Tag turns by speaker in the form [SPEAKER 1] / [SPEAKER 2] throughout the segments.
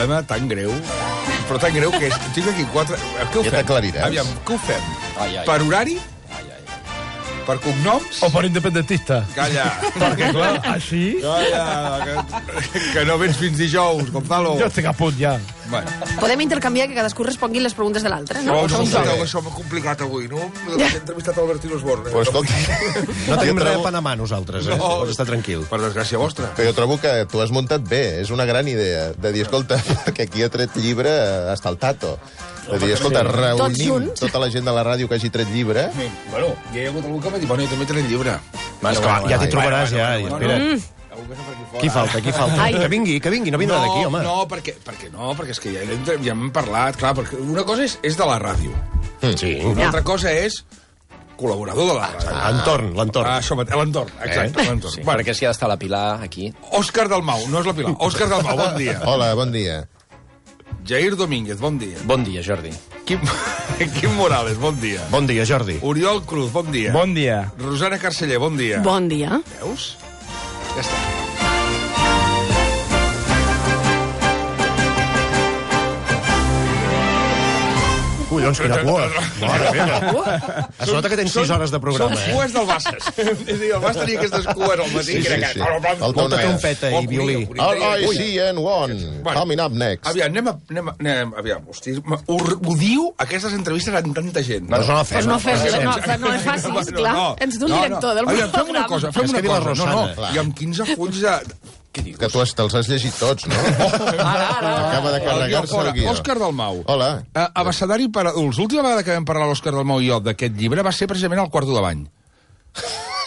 [SPEAKER 1] problema tan greu, però tan greu que és... Tinc aquí 4... Què ho fem?
[SPEAKER 2] Ja t'aclariràs.
[SPEAKER 1] Aviam, què ho fem? Per horari? Per cognoms?
[SPEAKER 3] O per independentista.
[SPEAKER 1] Calla.
[SPEAKER 3] Perquè, clar, així...
[SPEAKER 1] Calla, que no vens fins dijous, Gonzalo.
[SPEAKER 3] Jo estic a punt, ja.
[SPEAKER 1] Bueno.
[SPEAKER 4] Podem intercanviar que cadascú respongui les preguntes de l'altre, no?
[SPEAKER 1] Això m'ha complicat avui, no? He entrevistat Albertino Osborne.
[SPEAKER 2] Però escolta...
[SPEAKER 5] No tenim res a Panamà, nosaltres, eh? Pots estar tranquil.
[SPEAKER 1] Per desgràcia vostra.
[SPEAKER 2] Però jo trobo que tu has muntat bé. És una gran idea de dir, escolta, que aquí ha tret llibre hasta el Tato. De dir, escolta, reunim tota la gent de la ràdio que hagi tret llibre.
[SPEAKER 1] Bueno, ja hi ha hagut algú que m'ha dit, bueno, jo també tret llibre.
[SPEAKER 5] Esclar, ja t'hi trobaràs, ja. Espera't. Qui falta, qui falta?
[SPEAKER 4] Ai.
[SPEAKER 5] Que vingui, no vindrà d'aquí, home.
[SPEAKER 1] No, perquè és que ja hem parlat, clar, perquè una cosa és de la ràdio.
[SPEAKER 5] Sí.
[SPEAKER 1] Una altra cosa és col·laborador de la ràdio.
[SPEAKER 5] L'entorn.
[SPEAKER 1] Això mateix, l'entorn, exacte, l'entorn.
[SPEAKER 6] Sí, perquè si ha d'estar la Pilar aquí...
[SPEAKER 1] Òscar Dalmau, no és la Pilar, Òscar Dalmau, bon dia.
[SPEAKER 2] Hola, bon dia.
[SPEAKER 1] Jair Domínguez, bon dia.
[SPEAKER 6] Bon dia, Jordi.
[SPEAKER 1] Quim Morales, bon dia.
[SPEAKER 5] Bon dia, Jordi.
[SPEAKER 1] Oriol Cruz, bon dia.
[SPEAKER 3] Bon dia.
[SPEAKER 1] Rosana Carceller, bon dia.
[SPEAKER 4] Bon dia.
[SPEAKER 1] Veus? Ja està.
[SPEAKER 5] Collons, quina cua. Mare meva. Es nota que tens 6 hores de programa,
[SPEAKER 1] Són cues del Bassas. És a dir, el Bassas tenia aquestes cues al matí.
[SPEAKER 2] Sí.
[SPEAKER 5] Molta trompeta i violí.
[SPEAKER 2] RICN1, coming up next.
[SPEAKER 1] Aviam, aviam, hosti, ho diu aquestes entrevistes amb tanta gent.
[SPEAKER 5] Doncs no la fem.
[SPEAKER 4] No és fàcil, esclar. Ens d'un director del
[SPEAKER 1] programa. Fem una cosa, fem una cosa.
[SPEAKER 2] Rosana.
[SPEAKER 1] I amb 15 fulls de...
[SPEAKER 2] Que tu te'ls has llegit tots, no? Acaba de carregar-se el guió.
[SPEAKER 1] Òscar Dalmau.
[SPEAKER 2] Hola.
[SPEAKER 1] Abecedari per adults. L'última vegada que vam parlar l'Òscar Dalmau i jo d'aquest llibre va ser precisament al Quarto de Bany.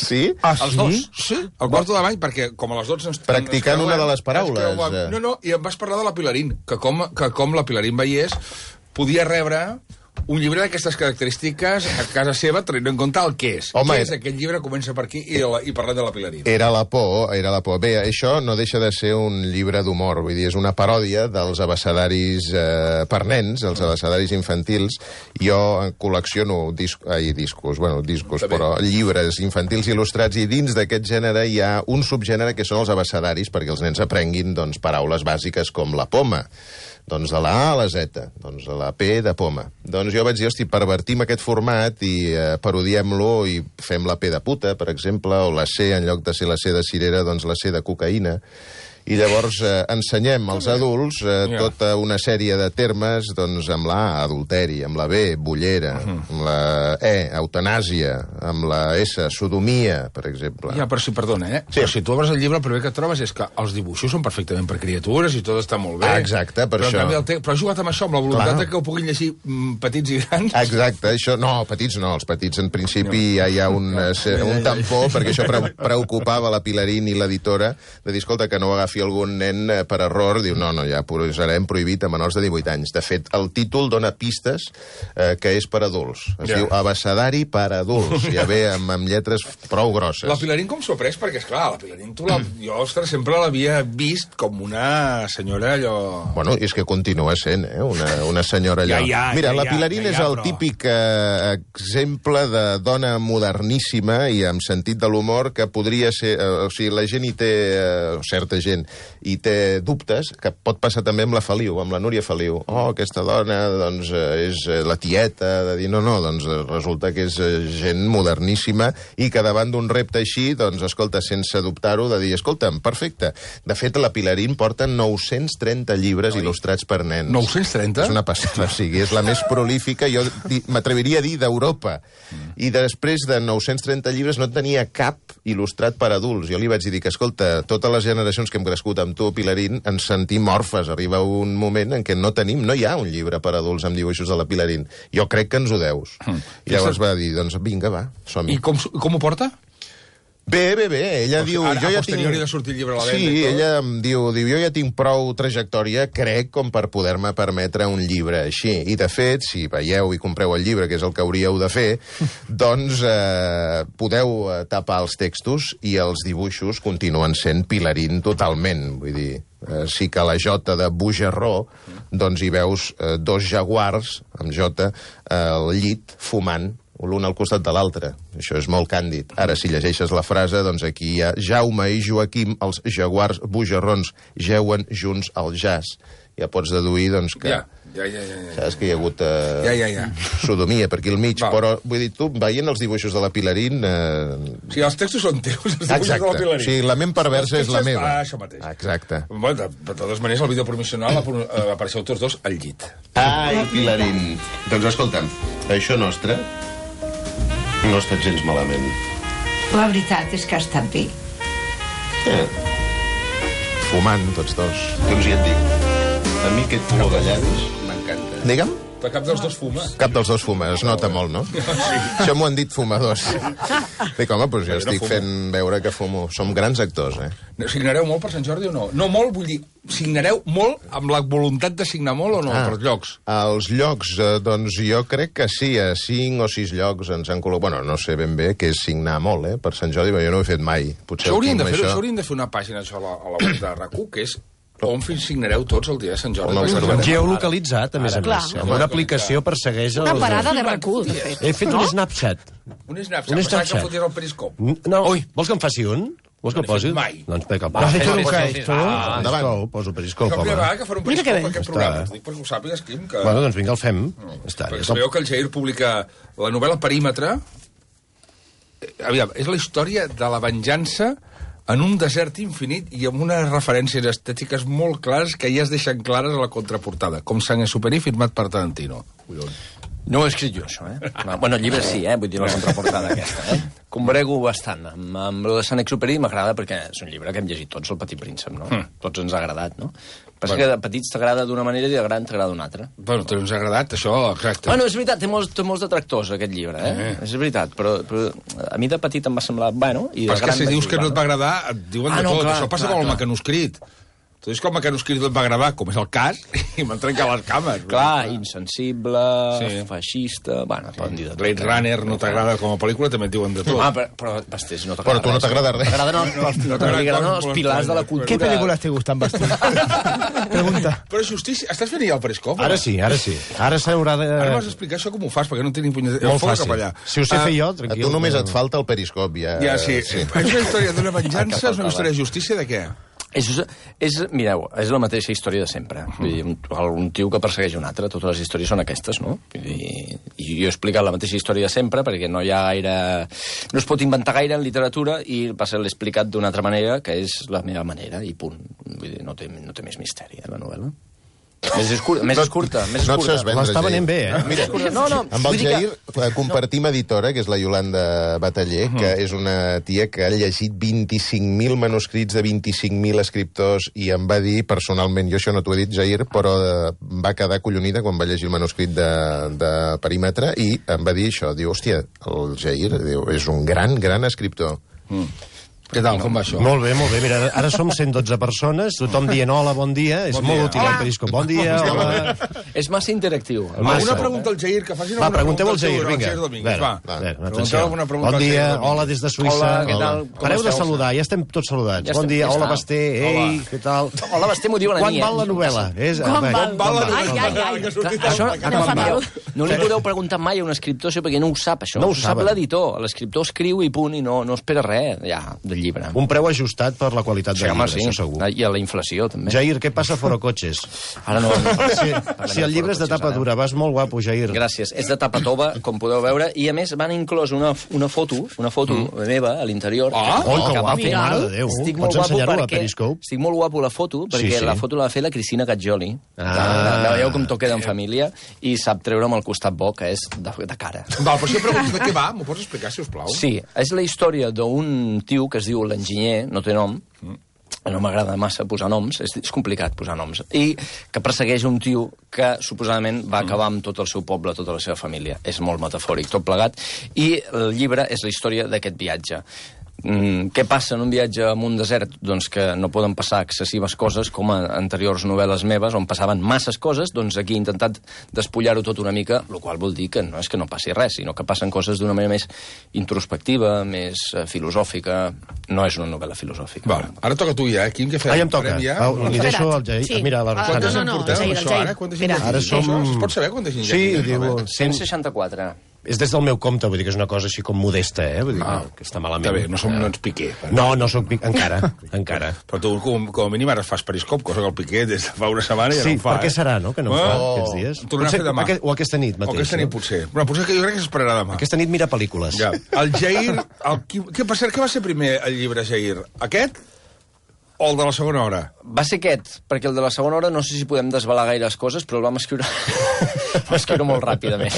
[SPEAKER 2] Sí?
[SPEAKER 1] Els dos? Sí, al Quarto de Bany, perquè com a les 12 ens...
[SPEAKER 2] Practicant una de les paraules.
[SPEAKER 1] No, i em vas parlar de la Pilarín, que com la Pilarín veiés podia rebre un llibre d'aquestes característiques a casa seva, tenint en compte el que és.
[SPEAKER 2] Home,
[SPEAKER 1] què és aquest llibre? Comença per aquí i parlem de la Pilarín.
[SPEAKER 2] Era la por. Bé, això no deixa de ser un llibre d'humor, vull dir, és una paròdia dels abecedaris per nens, els abecedaris infantils. Jo col·lecciono discos, però llibres infantils il·lustrats, i dins d'aquest gènere hi ha un subgènere que són els abecedaris, perquè els nens aprenguin paraules bàsiques com la poma. Doncs de la A a la Z, doncs de la P de poma. Doncs jo vaig dir, hosti, pervertim aquest format i parodiem-lo i fem la P de puta, per exemple, o la C, en lloc de ser la C de cirera, doncs la C de cocaïna. I llavors ensenyem als adults tota una sèrie de termes, doncs amb la A, adulteri, amb la B, bollera, amb la E, eutanàsia, amb la S, sodomia, per exemple.
[SPEAKER 1] Ja, però perdona,
[SPEAKER 2] Sí.
[SPEAKER 1] Però si tu obres el llibre, el primer que et trobes és que els dibuixos són perfectament per criatures i tot està molt bé.
[SPEAKER 2] Exacte, per això.
[SPEAKER 1] Però has jugat amb això, amb la voluntat que ho puguin llegir petits i grans.
[SPEAKER 2] Exacte, això... No, petits no, els petits en principi ja hi ha un tampó, perquè això preocupava la Pilarín i l'editora, de dir, escolta, que no agafi algun nen per error, diu, no, ja posarem prohibit a menors de 18 anys. De fet, el títol dona pistes que és per adults. Es diu Abecedari per adults. Ja ve amb lletres prou grosses.
[SPEAKER 1] La Pilarín com s'ho ha pres? Perquè, esclar, la Pilarín, jo, ostres, sempre l'havia vist com una senyora allò...
[SPEAKER 2] Bueno, és que continua sent, una senyora allò. Mira, la Pilarín és el típic exemple de dona moderníssima i amb sentit de l'humor que podria ser... O sigui, la gent hi té... certa gent i té dubtes, que pot passar també amb la Feliu, amb la Núria Feliu. Oh, aquesta dona, doncs, és la tieta, de dir, no, doncs resulta que és gent moderníssima i que davant d'un repte així, doncs, escolta, sense dubtar-ho, de dir, escolta'm, perfecte. De fet, la Pilarín porta 930 llibres il·lustrats per nens.
[SPEAKER 1] 930?
[SPEAKER 2] És una passada, o sigui, és la més prolífica, jo m'atreviria a dir, d'Europa. I després de 930 llibres no tenia cap il·lustrat per adults. Jo li vaig dir que, escolta, totes les generacions que hem crescut amb tu, Pilarín, ens sentim orfes. Arriba un moment en què no hi ha un llibre per adults amb dibuixos de la Pilarín. Jo crec que ens ho deus. I llavors va dir, doncs vinga, va, som-hi.
[SPEAKER 1] I com ho porta?
[SPEAKER 2] Bé. Ella diu...
[SPEAKER 1] Ara, a posteriori de sortir el llibre a la venda.
[SPEAKER 2] Sí, ella em diu, jo ja tinc prou trajectòria, crec, com per poder-me permetre un llibre així. I, de fet, si veieu i compreu el llibre, que és el que hauríeu de fer, doncs podeu tapar els textos i els dibuixos continuen sent Pilarín totalment. Vull dir, sí que a la J de Bujarró, doncs hi veus dos jaguars, amb J, al llit, fumant, l'un al costat de l'altre. Això és molt càndid. Ara, si llegeixes la frase, doncs aquí hi ha Jaume i Joaquim, els jaguars bujarrons, jeuen junts al jazz. Ja pots deduir, doncs, que...
[SPEAKER 1] Ja.
[SPEAKER 2] Saps que hi ha hagut sodomia per aquí al mig, però, vull dir, tu, veient els dibuixos de la Pilarín...
[SPEAKER 1] O sigui, els textos són teus, els dibuixos de la Pilarín.
[SPEAKER 2] O sigui, la ment perversa és la meva.
[SPEAKER 1] Això mateix.
[SPEAKER 2] Exacte.
[SPEAKER 1] Bueno, de totes maneres, el vídeo promocional apareixeu tots dos al llit.
[SPEAKER 2] Ai, Pilarín. Doncs escolta'm, això nostre no ha estat gens malament.
[SPEAKER 7] La veritat és que ha estat bé.
[SPEAKER 2] Fumant, tots dos. Doncs ja et dic. A mi aquest color de llavis m'encanta. Digue'm?
[SPEAKER 1] Però cap dels dos fuma.
[SPEAKER 2] Cap dels dos fuma, es nota molt, no? Sí. Això m'ho han dit fumadors. Dic, home, doncs jo estic fent veure que fumo. Som grans actors,
[SPEAKER 1] Signareu molt per Sant Jordi o no? No molt, vull dir, signareu molt amb la voluntat de signar molt o no, per llocs?
[SPEAKER 2] Els llocs, doncs jo crec que sí, a 5 o 6 llocs ens han col·locat... Bueno, no sé ben bé què és signar molt, per Sant Jordi, però jo no ho he fet mai.
[SPEAKER 1] Això hauríem de fer una pàgina, això, a la web de RAC1, que és on signareu tots el dia de Sant Jordi.
[SPEAKER 5] Geolocalitzat, a més a més. Amb una aplicació persegueix...
[SPEAKER 4] Una parada de RAC1, de fet.
[SPEAKER 5] He fet un Snapchat.
[SPEAKER 1] Un Snapchat? Pensava que fotés el periscop.
[SPEAKER 5] No, vols que em faci un? Vols que el posi?
[SPEAKER 1] Mai.
[SPEAKER 5] Doncs vinga,
[SPEAKER 3] Has hecho nunca esto.
[SPEAKER 2] Endavant.
[SPEAKER 5] Poso periscope.
[SPEAKER 1] És la primera vegada que faré un periscope per aquest programa. Dic perquè ho sàpigues, Quim, que...
[SPEAKER 5] Bueno, doncs vinga, el fem.
[SPEAKER 1] Perquè sabeu que el Jair publica la novel·la Perímetre. Aviam, és la història de la venjança en un desert infinit i amb unes referències estètiques molt clares que ja es deixen clares a la contraportada, com Saint-Exupéry firmat per Tarantino.
[SPEAKER 6] No ho he escrit jo, això, Bueno, el llibre sí, vull dir la contraportada aquesta, Combrego bastant. Amb lo de Saint-Exupéry m'agrada perquè és un llibre que hem llegit tots, El Petit Príncep, no? Tots ens ha agradat, no? Però és que de petits t'agrada d'una manera i de gran t'agrada d'una altra.
[SPEAKER 1] Bueno, ens ha agradat, això, exacte.
[SPEAKER 6] Bueno, és veritat, té molts detractors, aquest llibre, És veritat, però a mi de petit em va semblar, bueno...
[SPEAKER 1] Però és que si dius que no et va agradar, et diuen de tot. Això passa amb el mecanoscrit. Tu dius que el mecanoscrit et va agradar, com és el cas, i m'han trencat les cames.
[SPEAKER 6] Clar, insensible, feixista... Bueno, poden dir de tot.
[SPEAKER 1] Blade Runner no t'agrada com a pel·lícula, també et diuen de tot.
[SPEAKER 6] Però Bastés, no t'agrada
[SPEAKER 2] res. Però tu no t'agrada res.
[SPEAKER 6] T'agraden els pilars de la cultura.
[SPEAKER 3] ¿Qué películas te gustan, Bastés? Pregunta.
[SPEAKER 1] Però justícia, estàs fent ja el periscope?
[SPEAKER 5] Ara sí. Ara s'haurà de...
[SPEAKER 1] Ara m'has d'explicar això com ho fas, perquè no tinc ni punyetera...
[SPEAKER 5] Molt fàcil. Si ho sé fer jo, tranquil.
[SPEAKER 2] A tu només et falta el periscope, ja...
[SPEAKER 1] Ja, sí. És una història d'una venjança, és una història de justícia, de què?
[SPEAKER 6] Mireu, és la mateixa història de sempre. Vull dir, un tio que persegueix un altre, totes les històries són aquestes, no? I jo he explicat la mateixa història de sempre perquè no hi ha gaire... No es pot inventar gaire en literatura i l'he explicat d'una altra manera, que és la meva manera, i punt. Vull dir, no té més misteri, la novel·la. Més curta.
[SPEAKER 2] No et saps vendre,
[SPEAKER 5] l'està venent bé,
[SPEAKER 2] Mira, amb el Jair compartim editora, que és la Iolanda Bataller, que és una tia que ha llegit 25.000 manuscrits de 25.000 escriptors i em va dir personalment, jo això no t'ho he dit, Jair, però va quedar collonida quan va llegir el manuscrit de Perímetre i em va dir això, diu, hòstia, el Jair és un gran escriptor.
[SPEAKER 1] Què tal, com va això?
[SPEAKER 5] Molt bé. Mira, ara som 112 persones, tothom dient hola, bon dia. És molt útil el periscope. Bon dia, hola.
[SPEAKER 6] És massa interactiu.
[SPEAKER 1] Una pregunta al Jair, que facin una pregunta.
[SPEAKER 5] Pregunteu al Jair, vinga. Bon dia, hola des de Suïssa.
[SPEAKER 6] Què tal?
[SPEAKER 5] Pareu de saludar, ja estem tots saludats. Bon dia, hola, Basté, ei, què tal?
[SPEAKER 6] Hola, Basté, m'ho diuen a mi.
[SPEAKER 5] Quan val la novel·la?
[SPEAKER 4] Quan val la novel·la?
[SPEAKER 6] No li podeu preguntar mai a un escriptor això perquè no ho sap, això.
[SPEAKER 5] No ho
[SPEAKER 6] sap l'editor. L'escriptor escriu i punt, i no espera res, ja, del llibre.
[SPEAKER 5] Un preu ajustat per la qualitat del llibre,
[SPEAKER 6] això segur. I a la inflació, també.
[SPEAKER 5] Jair, què passa fora cotxes?
[SPEAKER 6] Ara no.
[SPEAKER 5] Si el llibre és de tapa dura, vas molt guapo, Jair.
[SPEAKER 6] Gràcies. És de tapa tova, com podeu veure, i a més van inclòs una foto meva a l'interior.
[SPEAKER 5] Que guapo, mare de Déu. Pots ensenyar-ho a Periscope?
[SPEAKER 6] Estic molt guapo la foto, perquè la foto la va fer la Cristina Gaggioli. La veieu com toqueda en família, i sap treure'm el costat bo, que és de cara.
[SPEAKER 1] Val, però si jo pregunto de què va, m'ho pots explicar, si us plau?
[SPEAKER 6] Sí, és la història d'un tio que es diu l'enginyer, no té nom, no m'agrada massa posar noms, és complicat posar noms, i que persegueix un tio que suposadament va acabar amb tot el seu poble, tota la seva família. És molt metafòric, tot plegat, i el llibre és la història d'aquest viatge. Què passa en un viatge en un desert? Doncs que no poden passar excessives coses com a anteriors novel·les meves on passaven masses coses, doncs aquí he intentat despullar-ho tot una mica, el qual vol dir que no és que no passi res, sinó que passen coses d'una manera més introspectiva, més filosòfica. No és una novel·la filosòfica.
[SPEAKER 1] Val, ara toca tu ja, Quim, què fem?
[SPEAKER 5] Em toca. Li deixo el Jair. Mira, la Rosana.
[SPEAKER 1] Quantes en portem, això, ara?
[SPEAKER 5] Ara som...
[SPEAKER 1] Es pot saber quantes gent?
[SPEAKER 5] Sí, diu...
[SPEAKER 6] 164.
[SPEAKER 5] És des del meu compte, vull dir que és una cosa així com modesta, vull dir que està malament.
[SPEAKER 1] Està bé, no ets Piqué.
[SPEAKER 5] No soc Piqué, encara.
[SPEAKER 1] Però tu, com a mínim, ara fas periscop, cosa que el Piqué des de fa una setmana ja no en fa.
[SPEAKER 5] Per què serà, no?, que no en fa aquests dies.
[SPEAKER 1] Tornarà a fer demà.
[SPEAKER 5] O aquesta nit mateix.
[SPEAKER 1] O aquesta nit, potser. Però potser que jo crec que s'esperarà demà.
[SPEAKER 5] Aquesta nit mira pel·lícules.
[SPEAKER 1] Ja. El Jair... Què va ser primer, el llibre, Jair? Aquest o el de la segona hora?
[SPEAKER 6] Va ser aquest, perquè el de la segona hora no sé si podem desvelar gaires coses, però el vam escriure... escriure molt ràpidament.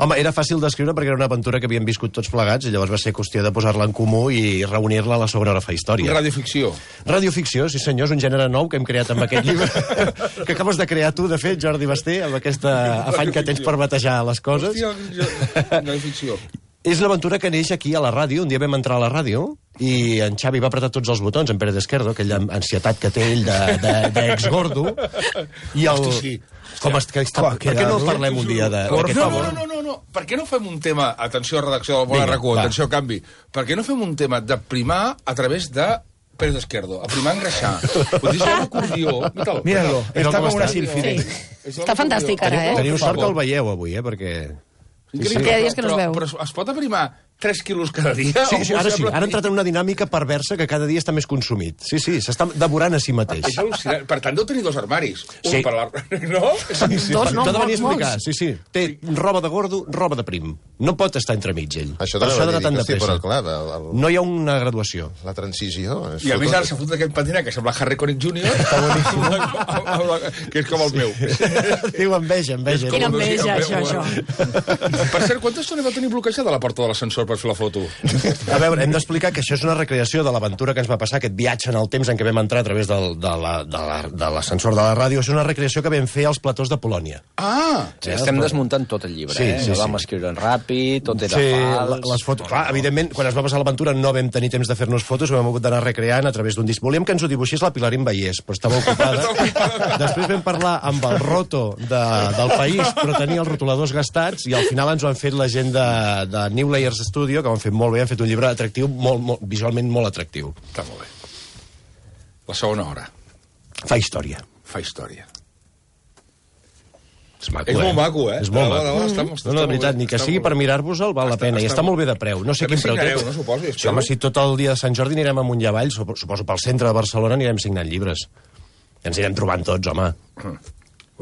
[SPEAKER 5] Home, era fàcil d'escriure perquè era una aventura que havíem viscut tots plegats i llavors va ser qüestió de posar-la en comú i reunir-la a la segona hora fa història.
[SPEAKER 1] Radioficció.
[SPEAKER 5] Radioficció, sí senyor, és un gènere nou que hem creat amb aquest llibre, que acabes de crear tu, de fet, Jordi Basté, amb aquest afany que tens per batejar les coses.
[SPEAKER 1] Hòstia, radioficció.
[SPEAKER 5] És una aventura que neix aquí a la ràdio. Un dia vam entrar a la ràdio i en Xavi va apretar tots els botons, en Pere d'Esquerdo, aquella ansietat que té ell d'ex-gordo. I el...
[SPEAKER 1] Hosti, sí.
[SPEAKER 5] Per què no parlem un dia d'aquest home?
[SPEAKER 1] No. Per què no fem un tema... Atenció, redacció del Bola RAC1, atenció, canvi. Per què no fem un tema de primar a través de Pere d'Esquerdo? A primar engreixar. Vull dir, és un acordió.
[SPEAKER 3] Míralo, està com una sílfide.
[SPEAKER 4] Està fantàstic, ara,
[SPEAKER 5] Teniu sort que el veieu avui, perquè...
[SPEAKER 4] Perquè hi ha dies que no es veu.
[SPEAKER 1] Però es pot aprimar 3 quilos cada dia?
[SPEAKER 5] Sí, ara sí. Ara ha entrat en una dinàmica perversa que cada dia està més consumit. Sí, s'està devorant a si mateix.
[SPEAKER 1] És al·lucinant. Per tant, deu tenir 2 armaris.
[SPEAKER 5] Sí.
[SPEAKER 1] Un per la... No?
[SPEAKER 5] Sí.
[SPEAKER 4] Dos, no,
[SPEAKER 5] T'ho ha de venir a explicar.
[SPEAKER 4] molts.
[SPEAKER 5] Sí. Té roba de gordo, roba de prim. No pot estar entremig, ell.
[SPEAKER 2] Això també va dir, hosti, però clar,
[SPEAKER 5] no hi ha una graduació.
[SPEAKER 2] la transició...
[SPEAKER 1] I a més ara s'ha fotut aquest patinet que sembla Harry Connick Jr. Està boníssim. Que és com el meu.
[SPEAKER 5] Diu enveja.
[SPEAKER 4] Quina enveja, això.
[SPEAKER 1] Per cert, quanta estona va tenir bloquejada la porta de l'ascensor per fer la foto?
[SPEAKER 5] A veure, hem d'explicar que això és una recreació de l'aventura que ens va passar, aquest viatge en el temps en què vam entrar a través de l'ascensor de la ràdio. És una recreació que vam fer als platós de Polònia.
[SPEAKER 6] Sí, estem desmuntant tot el llibre,
[SPEAKER 5] Sí.
[SPEAKER 6] Vam escriure en ràpid, tot era fals...
[SPEAKER 5] Les fotos... Clar, evidentment, quan es va passar l'aventura no vam tenir temps de fer-nos fotos, ho vam hagut d'anar recreant a través d'un disc. Volíem que ens ho dibuixés la Pilar Vallès, però estava ocupada. Després vam parlar amb el roto del País, però tenia els rotuladors gastats, i al final ens ho han fet la gent de New Layers Studio, que ho han fet molt bé, han fet un llibre atractiu, visualment molt atractiu.
[SPEAKER 1] Està molt bé. La segona hora.
[SPEAKER 5] Fa història.
[SPEAKER 1] És molt maco, eh?
[SPEAKER 5] És molt maco. No, de veritat, ni que sigui per mirar-vos-el val la pena. I està molt bé de preu. No sé quin preu té.
[SPEAKER 1] No suposo.
[SPEAKER 5] Sí, home, si tot el dia de Sant Jordi anirem amunt i avall, suposo pel centre de Barcelona anirem signant llibres. I ens anirem trobant tots, home.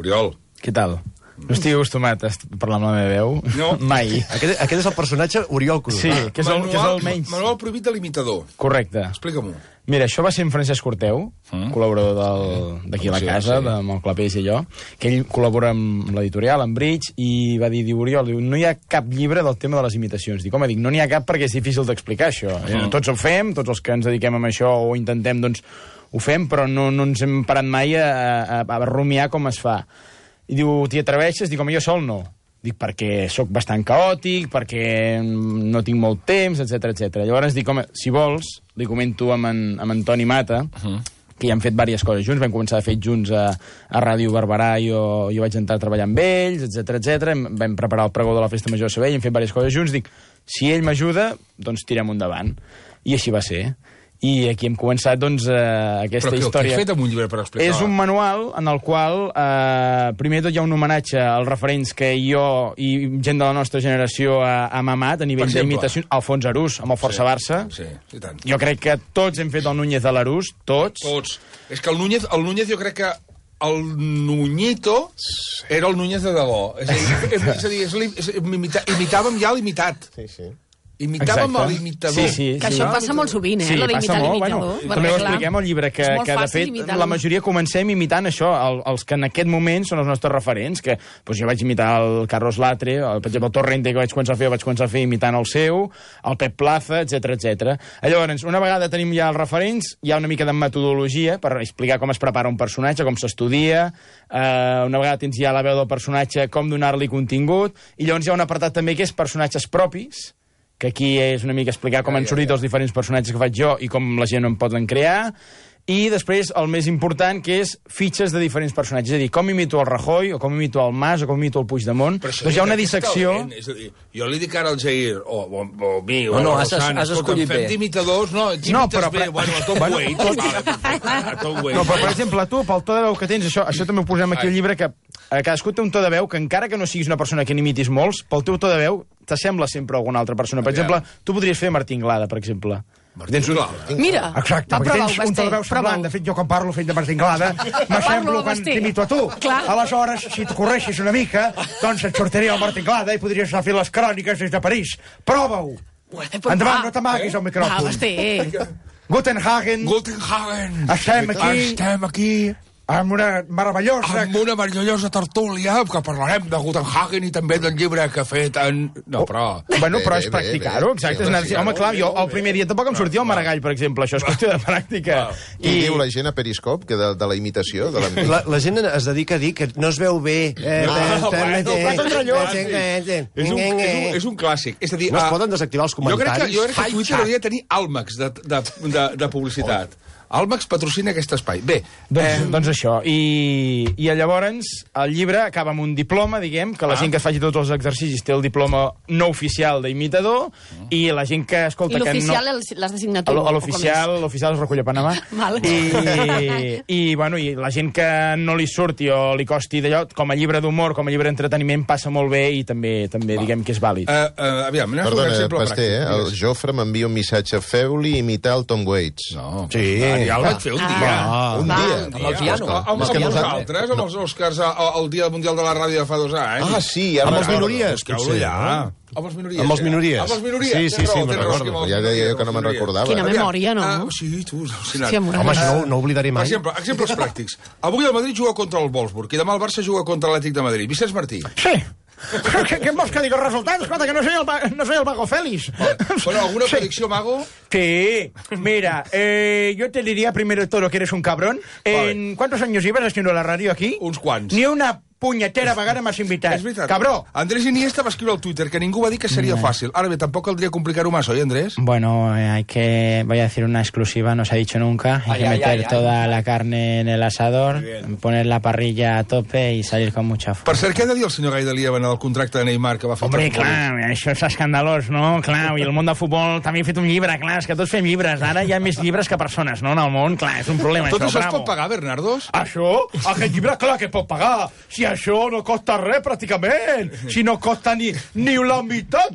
[SPEAKER 1] Oriol.
[SPEAKER 3] Què tal? No estic acostumat a parlar amb la meva veu.
[SPEAKER 1] No.
[SPEAKER 3] Mai.
[SPEAKER 5] Aquest és el personatge Oriol Cruz.
[SPEAKER 3] Sí, que és el menys.
[SPEAKER 1] Manual prohibit de l'imitador.
[SPEAKER 3] Correcte.
[SPEAKER 1] Explica-m'ho.
[SPEAKER 3] Mira, això va ser en Francesc Corteu, col·laborador d'aquí a la casa, amb el Clapés i allò, que ell col·labora amb l'editorial, amb Bridge, i va dir, Oriol, no hi ha cap llibre del tema de les imitacions. Dic, home, no n'hi ha cap perquè és difícil d'explicar això. Tots ho fem, tots els que ens dediquem a això o intentem, doncs, ho fem, però no ens hem parat mai a rumiar com es fa. I diu, t'hi atreveixes? Dic, home, jo sol no. Dic, perquè sóc bastant caòtic, perquè no tinc molt temps, etc. Llavors dic, home, si vols, li comento amb en Toni Mata, que ja hem fet diverses coses junts, vam començar a fer junts a Ràdio Barberà, jo vaig entrar a treballar amb ells, etc. Vam preparar el pregó de la Festa Major de Sabadell, hem fet diverses coses junts, dic, si ell m'ajuda, doncs tirem endavant. I així va ser. I aquí hem començat, doncs, aquesta història.
[SPEAKER 1] Però què has fet amb un llibre per explicar?
[SPEAKER 3] És un manual en el qual, primer tot, hi ha un homenatge als referents que jo i gent de la nostra generació hem amat a nivell d'imitacions. Alfons Arús, amb el Força Barça.
[SPEAKER 1] Sí, i tant.
[SPEAKER 3] Jo crec que tots hem fet el Núñez de l'Arús, tots.
[SPEAKER 1] És que el Núñez jo crec que el Nuñito era el Núñez de debò. És a dir, imitàvem ja l'imitat.
[SPEAKER 2] Sí.
[SPEAKER 1] Imitàvem l'imitador.
[SPEAKER 3] Sí.
[SPEAKER 4] Que això passa molt sovint,
[SPEAKER 3] Sí,
[SPEAKER 4] lo
[SPEAKER 3] passa
[SPEAKER 4] d'imitar
[SPEAKER 3] molt.
[SPEAKER 4] l'imitador.
[SPEAKER 3] També ho expliquem al llibre, que de fet la majoria comencem imitant això, els que en aquest moment són els nostres referents, que jo vaig imitar el Carlos Latre, per exemple el Torrente, que vaig començar a fer imitant el seu, el Pep Plaza, etc. Llavors, una vegada tenim ja els referents, hi ha una mica de metodologia per explicar com es prepara un personatge, com s'estudia, una vegada tens ja la veu del personatge, com donar-li contingut, i llavors hi ha un apartat també que és personatges propis, que aquí és una mica explicar com han sortit els diferents personatges que faig jo i com la gent en poden crear, i després el més important, que és fitxes de diferents personatges. És a dir, com imito el Rajoy, o com imito el Mas, o com imito el Puigdemont. Doncs hi ha una dissecció...
[SPEAKER 1] És a dir, jo li dic ara al Jair, o mi, o
[SPEAKER 6] no,
[SPEAKER 1] a
[SPEAKER 6] has
[SPEAKER 1] Rosana,
[SPEAKER 6] escollit bé.
[SPEAKER 1] Fem d'imitadors, no, imites bé, bueno, a Tom Waits. A Tom Waits.
[SPEAKER 3] No, però, per exemple, tu, pel to de veu que tens, això també ho posem aquí al llibre, que cadascú té un to de veu que, encara que no siguis una persona que n'imitis molts, pel teu to de veu t'assembla sempre a alguna altra persona. Per exemple, tu podries fer Martí Inglada, per exemple.
[SPEAKER 4] Mira,
[SPEAKER 8] exacte, perquè tens un to de veu semblant. De fet, jo quan parlo fent de Martí Inglada, m'assemblo quan t'imito a tu. Aleshores, si et correixis una mica, doncs et sortiria el Martí Inglada i podries anar a fer les cròniques des de París. Prova-ho! Endavant, no t'amaguis al micròfon.
[SPEAKER 4] Va, Basté.
[SPEAKER 8] Guten
[SPEAKER 1] Hagen.
[SPEAKER 8] Estem aquí amb una meravellosa
[SPEAKER 1] tertúlia, que parlarem de Gutenhagen i també del llibre que ha fet en... No, però...
[SPEAKER 3] Bueno, però és practicar-ho, exacte. Home, clar, jo el primer dia tampoc em sortia el Maragall, per exemple. Això és qüestió de pràctica.
[SPEAKER 2] I diu la gent a Periscop, que de la imitació?
[SPEAKER 5] La gent es dedica a dir que no es veu bé.
[SPEAKER 1] És un clàssic. És a dir,
[SPEAKER 5] no es poden desactivar els comentaris.
[SPEAKER 1] Jo crec que Twitter hauria de tenir àlmacs de publicitat. Almax patrocina aquest espai. Bé,
[SPEAKER 3] doncs això. I llavors el llibre acaba amb un diploma, diguem, que la gent que es faci tots els exercicis té el diploma no oficial d'imitador, i la gent que escolta...
[SPEAKER 4] I l'oficial l'has de signar tu?
[SPEAKER 3] L'oficial es recull a Panamà. I la gent que no li surti o li costi d'allò, com a llibre d'humor, com a llibre d'entreteniment, passa molt bé i també diguem que és vàlid.
[SPEAKER 1] Aviam, anem a fer un exemple pràctic.
[SPEAKER 2] El Jofre m'envia un missatge. Feu-li imitar el Tom Waits.
[SPEAKER 1] No.
[SPEAKER 2] Sí.
[SPEAKER 1] Ja el vaig fer un dia.
[SPEAKER 2] Un dia.
[SPEAKER 6] Amb el piano.
[SPEAKER 1] Amb nosaltres, amb els Oscars, el Dia Mundial de la Ràdio de fa 2 anys.
[SPEAKER 2] Ah, sí.
[SPEAKER 5] Amb els minories.
[SPEAKER 1] Amb els minories.
[SPEAKER 5] Amb els minories.
[SPEAKER 1] Amb els minories.
[SPEAKER 5] Sí, me'n recordo.
[SPEAKER 2] Ja deia que no me'n recordava.
[SPEAKER 4] Quina memòria, no?
[SPEAKER 1] Sí, tu,
[SPEAKER 5] home, no oblidaré mai.
[SPEAKER 1] Per exemple, exemples pràctics. Avui el Madrid juga contra el Wolfsburg i demà el Barça juga contra l'Atlètic de Madrid. Vicenç Martí.
[SPEAKER 8] Sí. ¿Qué vols que diga els resultats? Escolta, que no soy el Mago Félix.
[SPEAKER 1] Bueno, ¿alguna predicció, Mago?
[SPEAKER 8] Sí, mira, yo te diría primero de todo que eres un cabrón. ¿Cuántos años llevas haciendo la radio aquí?
[SPEAKER 1] Uns quants.
[SPEAKER 8] Ni una punyetera vegada m'has invitat.
[SPEAKER 1] És veritat.
[SPEAKER 8] Cabró.
[SPEAKER 1] Andrés Iniesta va escriure al Twitter que ningú va dir que seria fàcil. Ara bé, tampoc caldria complicar-ho más, ¿oye, Andrés?
[SPEAKER 3] Bueno, voy a decir una exclusiva, no se ha dicho nunca. Hay que meter toda la carne en el asador, poner la parrilla a tope y salir con mucha fuerza.
[SPEAKER 1] Per cert, què ha de dir el senyor Gaidalía en el contracte de Neymar que va fer?
[SPEAKER 3] Hombre, clar, això és escandalós, no? Clar, i el món del futbol també ha fet un llibre, clar, és que tots fem llibres. Ara hi ha més llibres que persones, no? En el món, clar, és un problema,
[SPEAKER 1] Tot
[SPEAKER 3] això,
[SPEAKER 1] això es pot pagar, Bernardos?
[SPEAKER 8] Això? Aquest llibre, clar que pot pagar. Si això no costa res, pràcticament. Si no costa ni la meitat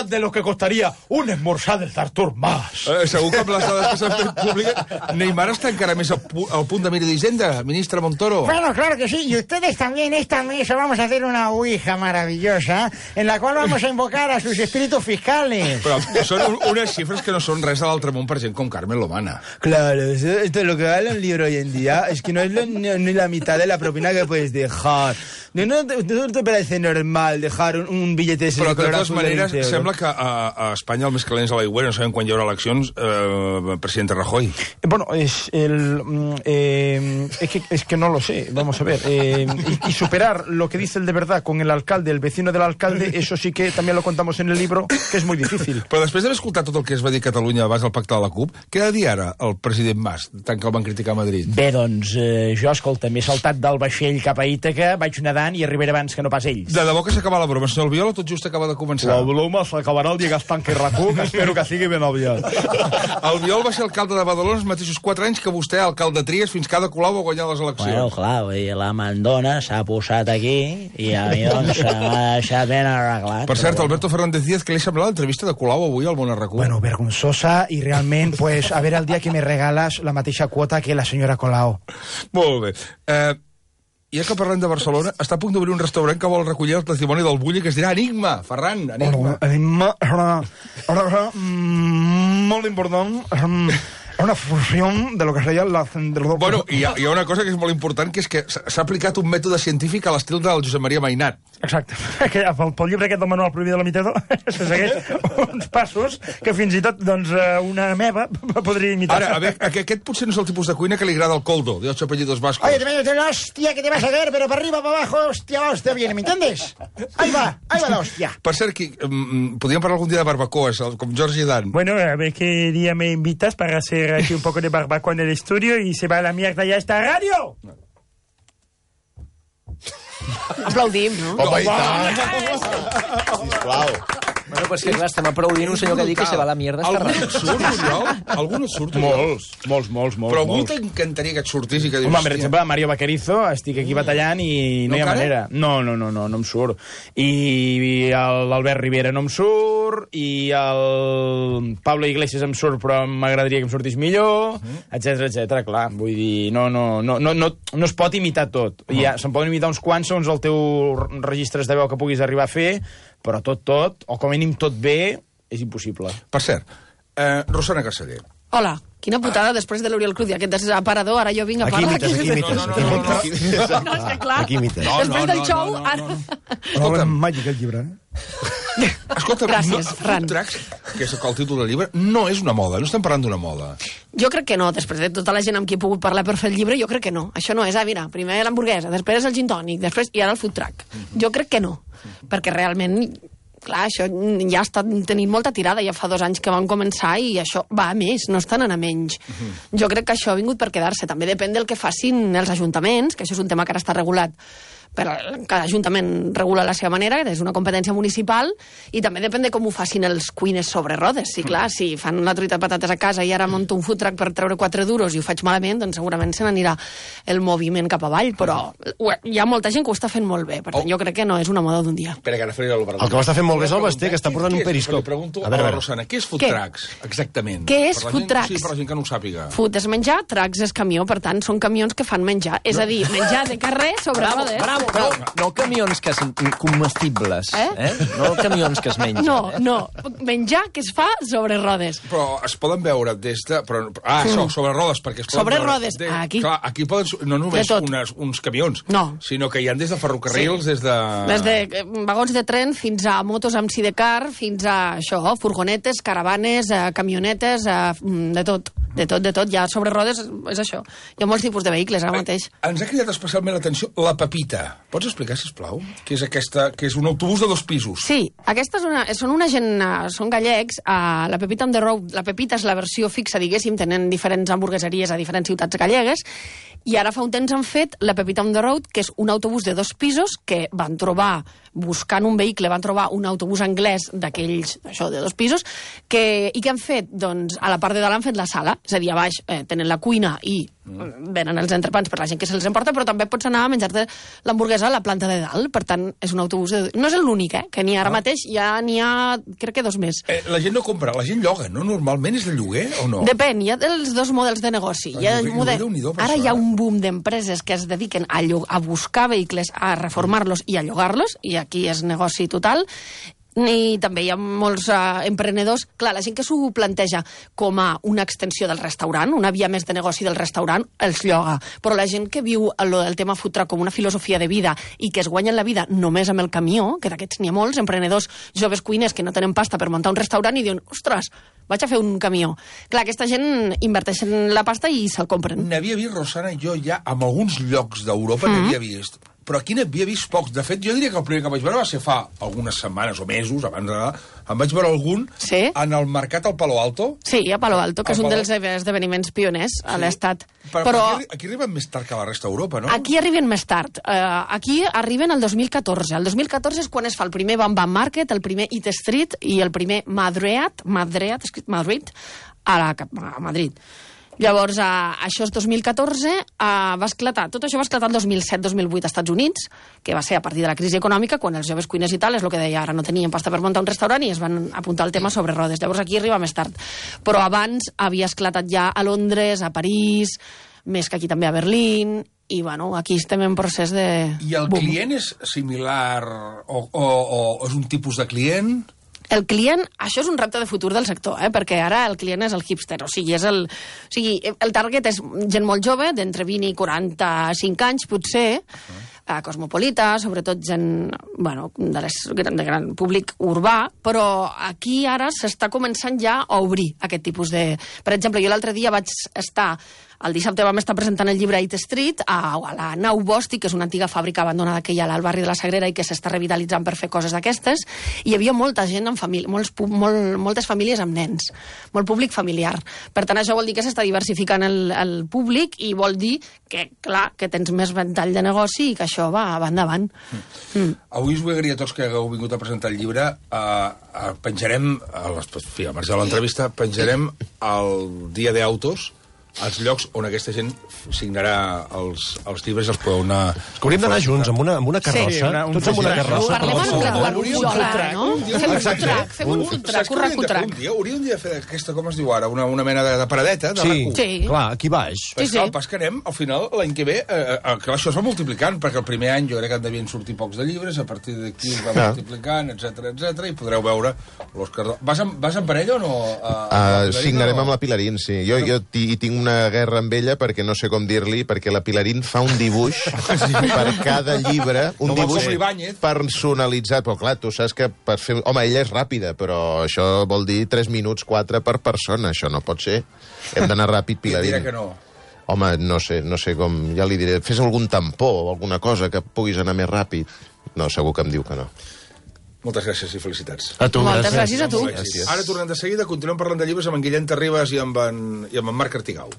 [SPEAKER 8] de lo que costaria un esmorzar del Artur Mas.
[SPEAKER 1] Segur que amb les dades que s'han fet públiques, Neymar està encara més al punt de mira d'Hisenda, ministra Montoro.
[SPEAKER 8] Bueno, claro que sí. Y ustedes también, esta mesa, vamos a hacer una ouija maravillosa en la cual vamos a invocar a sus espíritus fiscales.
[SPEAKER 1] Però són unes xifres que no són res de l'altre món per gent com Carmen Lomana.
[SPEAKER 3] Claro, esto lo que vale un libro hoy en día es que no es ni la mitad de la propina que puedes dejar. No te parece normal dejar un billete de ese?
[SPEAKER 1] Però de totes maneres, sembla que a Espanya el més calent és a l'aigüera, no sabem quan hi haurà eleccions, presidente Rajoy.
[SPEAKER 3] Bueno, es que no lo sé, vamos a ver. Y superar lo que dice el de verdad con el alcalde, el vecino del alcalde, eso sí que también lo contamos en el libro, que es muy difícil.
[SPEAKER 1] Però després d'haver escoltat tot el que es va dir a Catalunya abans del pacte de la CUP, què ha de dir ara el president Mas, tant que el van criticar a Madrid?
[SPEAKER 3] Bé, doncs, jo, escolta, m'he saltat del vaixell cap a Ítaca, vaig nedant i arribaré abans que no pas ells.
[SPEAKER 1] De debò que s'acaba la broma, senyor Albiol, o tot just acaba de començar?
[SPEAKER 8] La broma s'acabarà el dia que es tanqui RAC1, que espero que sigui ben aviat.
[SPEAKER 1] Albiol va ser alcalde de Badalona els mateixos 4 anys que vostè, alcalde de Tries, fins que Ada Colau va guanyar les eleccions.
[SPEAKER 3] Bueno, clar, la mandona s'ha posat aquí i a mi, doncs, m'ha deixat ben arreglat.
[SPEAKER 1] Per cert, Alberto Fernández Díaz, què li sembla l'entrevista de Colau avui al Món RAC1?
[SPEAKER 8] Bueno, vergonzosa i realment, pues, a veure el dia que me regales la mateixa quota que la senyora Colau.
[SPEAKER 1] Molt bé. Ja que parlem de Barcelona, està a punt d'obrir un restaurant que vol recollir el testimoni del Bulli, que es dirà Enigma. Ferran, Enigma.
[SPEAKER 8] Enigma, molt important, una fusió de lo que seria la...
[SPEAKER 1] Bueno, hi ha una cosa que és molt important, que és que s'ha aplicat un mètode científic a l'estil del Josep Maria Mainat.
[SPEAKER 8] Exacte. Pel llibre aquest del Manuel Prohibido de l'Imitador se segueix uns passos que fins i tot, doncs, una meva podria imitar.
[SPEAKER 1] Ara, a veure, aquest potser no és el tipus de cuina que li agrada al Coldo, de 8 apellidos vascos.
[SPEAKER 8] Oye, hòstia, que te vas a caer, pero para arriba, para abajo, hòstia, viene, ¿me entiendes? Ahí va la hòstia.
[SPEAKER 1] Per cert, podríem parlar algun dia de barbacoas, com Jordi Dan.
[SPEAKER 9] Bueno, a ver qué día me invitas para hacer hacer aquí un poco de barbacoa en el estudio y se va a la mierda ya esta radio.
[SPEAKER 4] Aplaudim, no?
[SPEAKER 2] Home, i tant! Sisplau.
[SPEAKER 6] Bueno, pues que clar, estem aplaudint un senyor que diu que se va a la mierda.
[SPEAKER 1] Algun et surt, Oriol? Algun et surt?
[SPEAKER 3] Molts.
[SPEAKER 1] Però algú t'encantaria que et sortís i que dius...
[SPEAKER 3] Home, per exemple, Mario Vaquerizo, estic aquí batallant i no hi ha manera. No em surt. I l'Albert Rivera no em surt, i el Pablo Iglesias em surt, però m'agradaria que em sortís millor, etc. Clar, vull dir, no es pot imitar tot. Se'n poden imitar uns quants segons el teu registres de veu que puguis arribar a fer, però tot, o com a mínim tot bé, és impossible.
[SPEAKER 1] Per cert, Rosana Casaller.
[SPEAKER 4] Hola, quina putada, després de l'Oriol Cruz i aquest desaparador, ara jo vinc a parlar.
[SPEAKER 5] Aquí imites.
[SPEAKER 4] No, és que clar, després del show...
[SPEAKER 8] Escolta, màgic el llibre,
[SPEAKER 1] Escolta,
[SPEAKER 4] gràcies, Ferran.
[SPEAKER 1] Food trucks, que és el títol del llibre, no és una moda, no estem parlant d'una moda.
[SPEAKER 4] Jo crec que no, després de tota la gent amb qui he pogut parlar per fer el llibre, jo crec que no. Això no és, mira, primer l'hamburguesa, després el gin tònic, i ara el food truck. Jo crec que no, perquè realment, clar, això ja està tenint molta tirada, ja fa 2 anys que van començar i això va a més, no estan anant a menys. Jo crec que això ha vingut per quedar-se. També depèn del que facin els ajuntaments, que això és un tema que ara està regulat, però cada ajuntament regula a la seva manera, és una competència municipal, i també depèn de com ho facin els cuines sobre rodes. Sí, clar, si fan la truita de patates a casa i ara monto un food truck per treure 4 duros i ho faig malament, doncs segurament se n'anirà el moviment cap avall, però hi ha molta gent que ho està fent molt bé, per tant jo crec que no és una moda d'un dia.
[SPEAKER 1] Espera, que ara faré l'Obrador.
[SPEAKER 5] El que ho està fent molt bé és el Basté, que està portant un periscop.
[SPEAKER 1] Li pregunto a la Rosana, què és food trucks, exactament?
[SPEAKER 4] Què és food trucks?
[SPEAKER 1] Sí, per la gent que no ho sàpiga.
[SPEAKER 4] Food és menjar, trucks és camió, per tant són camions que fan menjar, és a dir, menjar de carrer sobre rodes.
[SPEAKER 6] No camions que són comestibles, no camions que es mengen.
[SPEAKER 4] No, menjar que es fa sobre rodes.
[SPEAKER 1] Però es poden veure des de... Això, sobre rodes, perquè es poden
[SPEAKER 4] sobre
[SPEAKER 1] veure...
[SPEAKER 4] rodes, aquí.
[SPEAKER 1] Clar, aquí poden no només uns camions, sinó que hi ha des de ferrocarrils, des de...
[SPEAKER 4] Des de vagons de tren fins a motos amb sidecar, fins a això, furgonetes, caravanes, camionetes, de tot. Ja sobre rodes és això. Hi ha molts tipus de vehicles ara mateix.
[SPEAKER 1] Ens ha cridat especialment l'atenció la Pepita. Pots explicar, sisplau? Què és aquesta? Que és un autobús de 2 pisos.
[SPEAKER 4] Sí, aquesta són gallecs. La Pepita on the Road, la Pepita és la versió fixa, diguéssim, tenen diferents hamburgueseries a diferents ciutats gallegues, i ara fa un temps han fet la Pepita on the Road, que és un autobús de 2 pisos que van trobar, buscant un vehicle, van trobar un autobús anglès d'aquells, això, de 2 pisos, i què han fet? Doncs a la part de dalt han fet la sala, és a dir, a baix tenen la cuina i venen els entrepans per la gent que se'ls emporta, però també pots anar a menjar-te l'hamburguesa a la planta de dalt. Per tant, és un autobús no és l'únic, que n'hi ha ara mateix, ja n'hi ha, crec que 2 més.
[SPEAKER 1] La gent no compra, la gent lloga, no? Normalment és de lloguer o no?
[SPEAKER 4] Depèn, hi ha els 2 models de negoci. Ara hi ha un boom d'empreses que es dediquen a buscar vehicles, a reformar-los i a llogar-los, i aquí és negoci total. I també hi ha molts emprenedors. Clar, la gent que s'ho planteja com a una extensió del restaurant, una via més de negoci del restaurant, els lloga. Però la gent que viu el tema food truck com una filosofia de vida i que es guanyen la vida només amb el camió, que d'aquests n'hi ha molts, emprenedors joves cuiners que no tenen pasta per muntar un restaurant i diuen, ostres, vaig a fer un camió. Clar, aquesta gent inverteix en la pasta i se'l compren.
[SPEAKER 1] N'havia vist, Rosana, jo ja en alguns llocs d'Europa n'havia vist, però aquí n'havia vist pocs. De fet, jo diria que el primer que vaig veure va ser fa algunes setmanes o mesos, abans d'anar, em vaig veure algun en el mercat al Palo Alto.
[SPEAKER 4] Sí, a Palo Alto, que és un dels esdeveniments pioners a l'estat.
[SPEAKER 1] Però aquí arriben més tard que a la resta d'Europa, no?
[SPEAKER 4] Aquí arriben més tard. Aquí arriben el 2014. El 2014 és quan es fa el primer Bam Bam Market, el primer Eat Street i el primer Madreat, escrit Madrid, a Madrid. Llavors, això és 2014, va esclatar, tot això va esclatar el 2007-2008 als Estats Units, que va ser a partir de la crisi econòmica, quan els joves cuiners i tal, és el que deia, ara no tenien pasta per muntar un restaurant i es van apuntar el tema sobre rodes. Llavors aquí arriba més tard. Però abans havia esclatat ja a Londres, a París, més que aquí també a Berlín, i bueno, aquí estem en procés de...
[SPEAKER 1] I el client és similar o és un tipus de client?
[SPEAKER 4] El client, això és un repte de futur del sector, perquè ara el client és el hipster, o sigui, el target és gent molt jove, d'entre 20 i 45 anys, potser, cosmopolita, sobretot gent, bueno, de gran públic urbà, però aquí ara s'està començant ja a obrir aquest tipus de... Per exemple, jo l'altre dia vaig estar El dissabte vam estar presentant el llibre 8 Street a la Nau Bòstic, que és una antiga fàbrica abandonada que hi ha al barri de la Sagrera i que s'està revitalitzant per fer coses d'aquestes. I hi havia molta gent amb família, moltes famílies amb nens, molt públic familiar. Per tant, això vol dir que s'està diversificant el públic i vol dir que, clar, que tens més ventall de negoci i que això va endavant.
[SPEAKER 1] Avui us vull agrair a tots que hagueu vingut a presentar el llibre. Penjarem, al marge de l'entrevista, penjarem el dia d'autos, els llocs on aquesta gent signarà els llibres, els podeu anar...
[SPEAKER 5] És que hauríem d'anar junts, amb una carrossa, tots amb una carrossa.
[SPEAKER 4] Parlem en Barcelona, no? Fem un food truck, un racotrac.
[SPEAKER 1] Hauríem de fer aquesta, com es diu ara, una mena de paradeta, de RAC1.
[SPEAKER 5] Sí, clar, aquí baix.
[SPEAKER 1] El pas que anem, al final, l'any que ve, que això es va multiplicant, perquè el primer any jo crec que en devien sortir pocs de llibres, a partir d'aquí es va multiplicant, etc i podreu veure l'Òscar... Vas en parella o no?
[SPEAKER 2] Signarem amb la Pilarín, sí. Jo hi tinc una guerra amb ella perquè no sé com dir-li, perquè la Pilarín fa un dibuix per cada llibre, un dibuix personalitzat, però clar, tu saps que per fer... Home, ella és ràpida, però això vol dir 3 minuts, 4 per persona, això no pot ser. Hem d'anar ràpid, Pilarín.
[SPEAKER 1] Dirà que no.
[SPEAKER 2] Home, no sé com... Ja li diré, fes algun tampó o alguna cosa que puguis anar més ràpid. No, segur que em diu que no.
[SPEAKER 1] Moltes gràcies i felicitats.
[SPEAKER 5] A tu.
[SPEAKER 4] Moltes gràcies a tu.
[SPEAKER 1] Ara tornem de seguida, continuem parlant de llibres amb en Guillem Terribas i amb en Marc Artigau.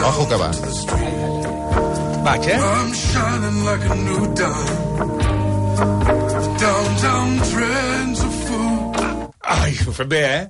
[SPEAKER 2] Ojo que va.
[SPEAKER 1] Vaig, Ai, ho fem bé,